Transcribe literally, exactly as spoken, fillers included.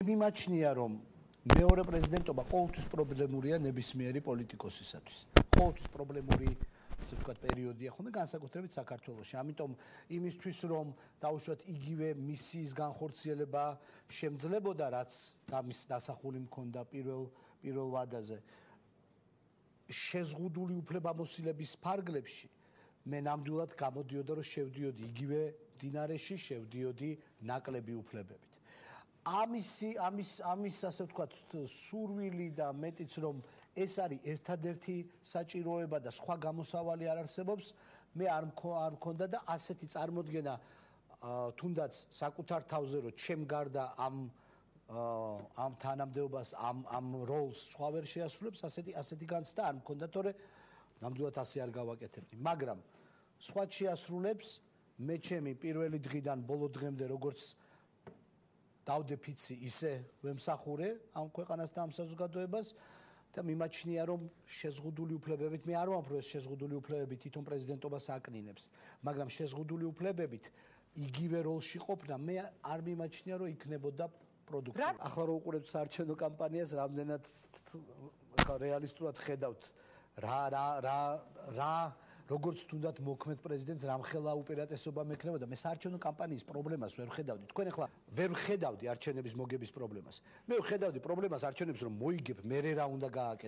მიმაჩნია რომ მეორე პრეზიდენტობა ყოველთვის პრობლემურია ნებისმიერი პოლიტიკოსისათვის. ყოველთვის პრობლემური ასე ვთქვათ პერიოდია ხოლმე განსაკუთრებით საქართველოში. ამიტომ იმისთვის რომ დაუშვათ იგივე მისიის განხორციელება შემძლებოდა რაც ამის დასახული მქონდა პირველ პირველ ვადაზე შეზღუდული უფლებამოსილების ფარგლებში მე ნამდვილად გამოდიოდა რომ შევდიოდი იგივე მდინარეში შევდიოდი ნაკლები უფლებებით. ამისი ამის ამის ასე ვთქვათ სურვილი და მეტიც რომ ეს არის ერთადერთი საჭიროება და სხვა გამოსავალი არ არსებობს მე არ არ მქონდა და ასეთი წარმოდგენა თუნდაც საკუთარ თავზე რომ ჩემ გარდა ამ ამ თანამდებობას ამ ამ როლს სხვა ვერ შეასრულებს ასეთი ასეთი განცდა არ მქონდა თორე ნამდვილად ასე არ გავაკეთებდი მაგრამ სხვა შეასრულებს მე ჩემი პირველი დღიდან ბოლო დღემდე როგორც დავდეფიცი ისე ვემსახურე ამ ქვეყანას და ამ საზოგადოებას და მიმაჩნია რომ შეზღუდული უფლებებით მე არ ვამბობ რომ შეზღუდული უფლებები თვითონ პრეზიდენტობას აკნინებს მაგრამ შეზღუდული უფლებებით იგივე როლში ყოფნა მე არ მიმაჩნია რომ იქნებოდა პროდუქტივი. ახლა რო უყურებთ საარჩევნო კამპანიას რამდენად ხა რეალისტურად ხედავთ რა რა რა რა როგორც თუნდაც მოქმედ პრეზიდენტს რამხელა უპირატესობა მექნებოდა მე საარჩევნო კამპანიის პრობლემას ვერ ხედავდი თქვენ ახლა ვერ ხედავდი არჩევნების მოგების პრობლემას მე ვხედავდი პრობლემას არჩევნებს რომ მოიგებ მე რა უნდა გააკეთო